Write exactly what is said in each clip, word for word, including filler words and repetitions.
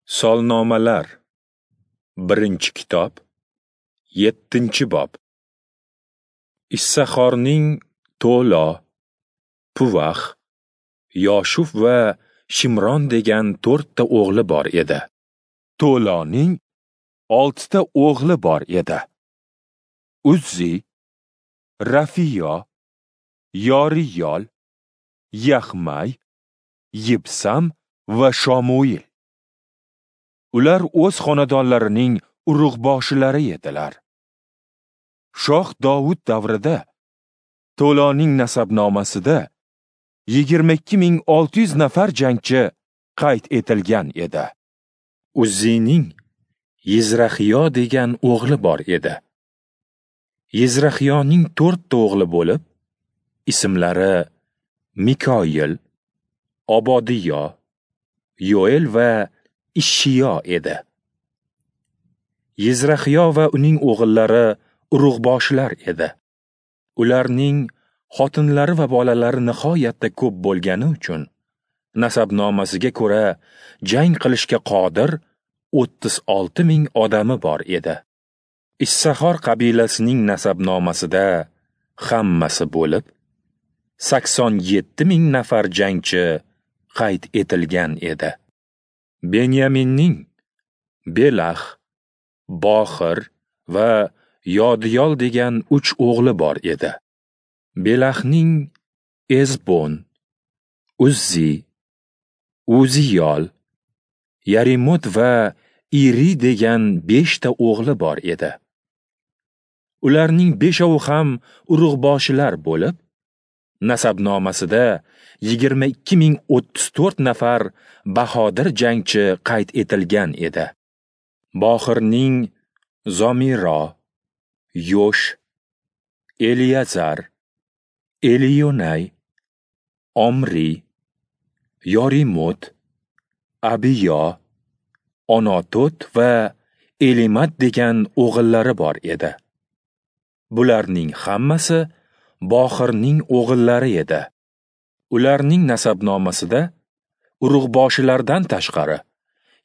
Solnomalar, birinchi kitob, yettinchi bob. Issaxorning To'lo, Puvax, Yoshuf va Shimron degan to'rtta o'g'li bor edi. To'loning oltita o'g'li bor edi. Uzzi, Rafiyo, Yoriyol, Yaxmay, Yibsam va Shomuil. Ular o'z xonadonlarining urug'boshilari edilar. Shoh Dovud davrida To'loning nasabnomasida yigirma ikki ming olti yuz nafar jangchi qayd etilgan edi. Uzzining Yizraxiyo degan o'g'li bor edi. Yizraxiyoning to'rtta o'g'li bo'lib, ismlari Mikoyil, Obodiyo, Yoel va Ishshiyo edi. Yizraxiyo va uning o'g'illari urug'boshilar edi. Ularning xotinlari va bolalari nihoyatda ko'p bo'lgani uchun nasabnomasiga ko'ra jang qilishga qodir o'ttiz olti ming odami bor edi. Issaxor qabilasining nasabnomasida hammasi bo'lib sakson yetti ming nafar jangchi qayd etilgan edi. Benyaminning Belax, Boxir va Yodiyol degan uch o'g'li bor edi. Belaxning Ezbon, Uzzi, Uziyol, Yarimot va Iri degan beshta o'g'li bor edi. Ularning beshovi ham urug'boshilar bo'lib, nasabnomasida yigirma ikki ming o'ttiz to'rt nafar bahodir jangchi qayd etilgan edi. Boxirning Zomiro, Yosh, Eliyazar, Eliyonay, Omri, Yorimot, Abiyo, Onotot va Elimat degan o'g'illari bor edi. Bularning hammasi Boxirning o'g'illari edi. Ularning nasabnomasida urug'boshilardan tashqari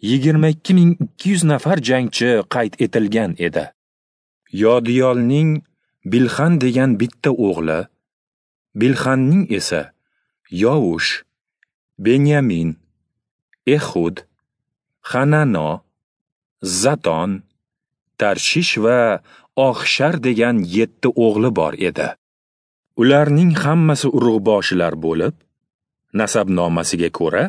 yigirma ikki ming ikki yuz nafar jangchi qayd etilgan edi. Yodiyolning Bilxan degan bitta o'g'li, Bilxanning esa Yovush, Benyamin, Ehud, Hanano, Zaton, Tarshish va Oxshar degan yetti o'g'li bor edi. Ularning hammasi urug'boshilar bo'lib, nasabnomasiga ko'ra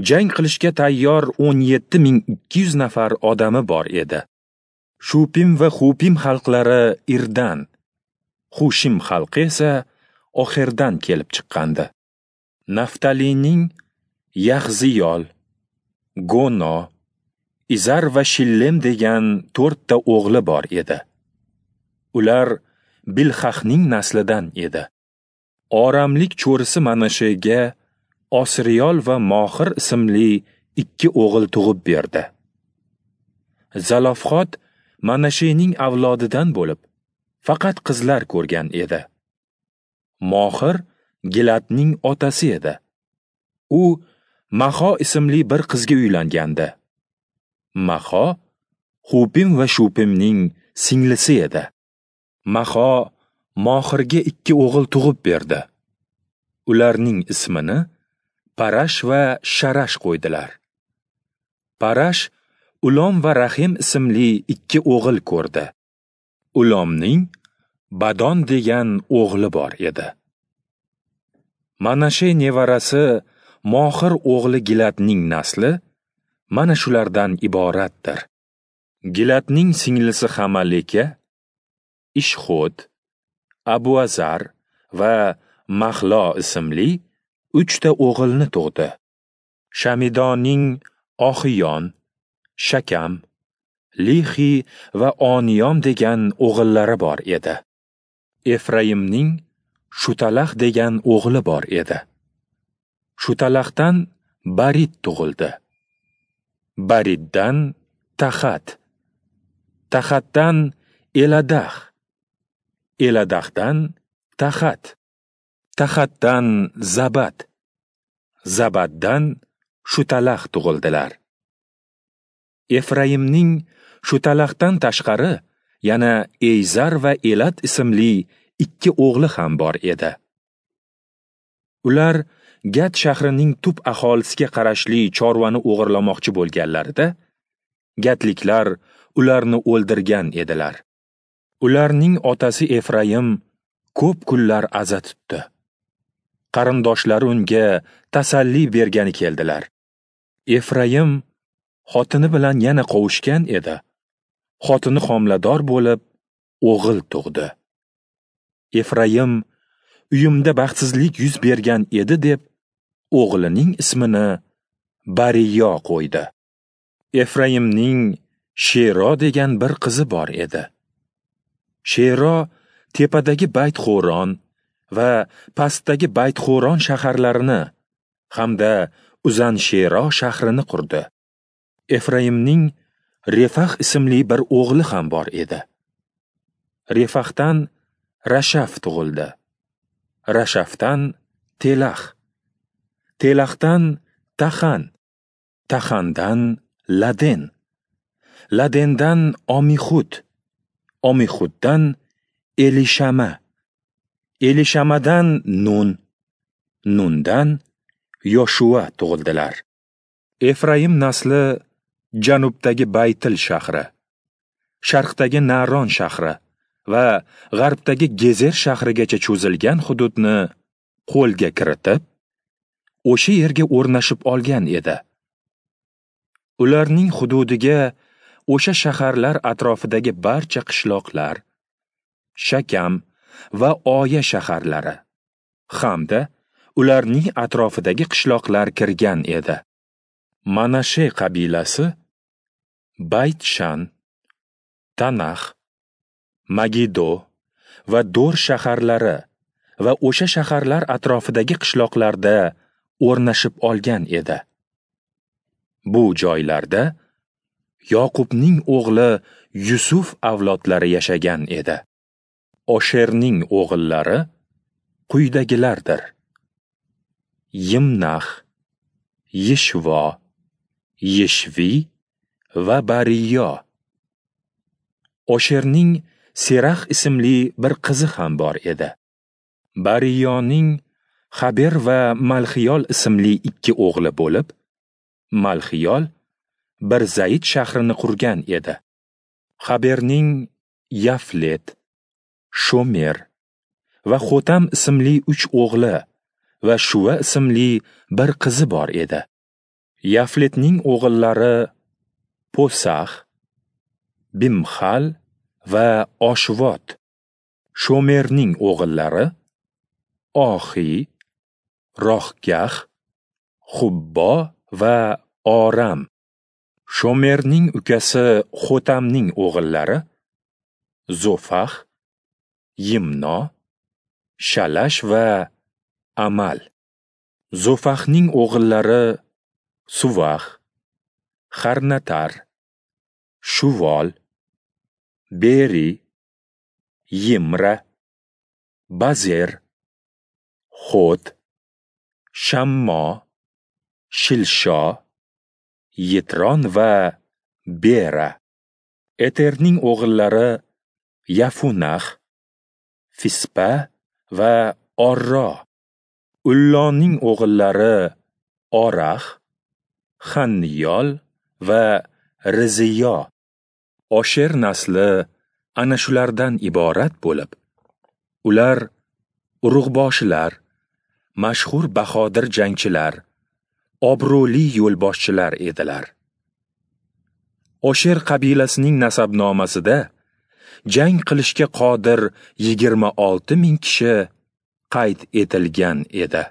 jang qilishga tayyor o'n yetti ming ikki yuz nafar odami bor edi. Shupim va Xupim xalqlari Irdan, Xushim xalqi esa Oxirdan kelib chiqqandi. Naftalining Yaxziyol, Gono, Izar va Shillem degan to'rtta o'g'li bor edi. Ular Bilxahning naslidan edi. Oramlik cho'risi Manashega Osriyol va Mohir ismli ikki o'g'il tug'ib berdi. Zalofxod Manashening avlodidan bo'lib, faqat qizlar ko'rgan edi. Mohir Gilatning otasi edi. U Maho ismli bir qizga uylangandi. Maho Xupim va Shupimning singlisi edi. Maho Mohirga ikki o'g'il tug'ib berdi. Ularning ismini Parash va Sharash qo'ydilar. Parash Ulom va Rahim ismli ikki o'g'il ko'rdi. Ulomning Badon degan o'g'li bor edi. Manashe nevarasi Mohir o'g'li Gilatning nasli mana shulardan iboratdir. Gilatning singlisi Hamaleka, Ishxod, Abuazar va Mahlo ismli uchta o'g'ilni tug'di. Shamidoning Oxiyon, Shakam, Lixi va Oniyom degan o'g'illari bor edi. Efraimning Shutalax degan o'g'li bor edi. Shutalaxdan Barid tug'ildi. Bariddan Taxat, Taxatdan Eladax, Eladaxdan Taxat, Taxatdan Zabat, Zabatdan Shutalax tug'ildilar. Efraimning Shutalaxdan tashqari yana Eyzar va Elat ismli ikki o'g'li ham bor edi. Ular Gat shahrining tub aholisiga qarashli chorvani o'g'irlamoqchi bo'lganlarida, gatliklar ularni o'ldirgan edilar. Ularning otasi Efraim ko'p kunlar aza tutdi. Qarindoshlari unga tasalli bergani keldilar. Efraim xotini bilan yana qovushgan edi. Xotini homilador bo'lib, o'g'il tug'di. Efraim uyimda baxtsizlik yuz bergan edi deb o'g'lining ismini Bariyo qo'ydi. Efraimning Shero degan bir qizi bor edi. Shero tepadagi Bayt-Xo'ron va pastdagi Bayt-Xo'ron shaharlarini hamda Uzan-Shero shahrini qurdi. Efraimning Refax ismli bir o'g'li ham bor edi. Refaxdan Rashaf tug'ildi. Rashafdan Telax, Telaxdan Taxan, Taxandan Laden, Ladendan Omihud, Omihuddan Elishama, Elishamadan Nun, Nundan Yoshua tug'ildilar. Efraim nasli janubdagi Baytil shahri, sharqdagi Naron shahri va g'arbdagi Gezer shahrigacha cho'zilgan hududni qo'lga kiritib, o'sha yerga o'rnashib olgan edi. Ularning hududiga o'sha shaharlar atrofidagi barcha qishloqlar, Shakam va Oya shaharlari hamda ularning atrofidagi qishloqlar kirgan edi. Manashe qabilasi Bayt-Shan, Tanax, Magido va Dor shaharlari va o'sha shaharlar atrofidagi qishloqlarda o'rnashib olgan edi. Bu joylarda Yoqubning o'g'li Yusuf avlodlari yashagan edi. Osherning o'g'illari quyidagilardir: Yimnax, Yishvo, Yishvi va Bariyo. Osherning Serax ismli bir qizi ham bor edi. Bariyoning Xaber va Malxiyol ismli ikki o'g'li bo'lib, Malxiyol bir Zayd shahrini qurgan edi. Xaberning Yaflet, Shomer va Xotam ismli uch o'g'li va Shuva ismli bir qizi bor edi. Yafletning o'g'illari Posax, Bimxal va Oshvot. Shomerning o'g'illari Ohi, Rohgax, Xubbo va Oram. Shomerning ukasi Xotamning o'g'illari Zofax, Yimno, Shalash va Amal. Zofaxning o'g'illari Suvax, Xarnatar, Shuvol, Beri, Yimra, Bazer, Xot, Shammo, Shilsho, Yitron va Bera. Eterning o'g'illari Yafunax, Fispa va Orro. Ulloning o'g'illari Orax, Xanniyol va Riziyo. Osher nasli ana shulardan iborat bo'lib, ular urug'boshilar, mashhur bahodir jangchilar, obro'li yo'lboshchilar edilar. Osher qabilasining nasabnomasida jang qilishga qodir yigirma olti ming kishi qayd etilgan edi.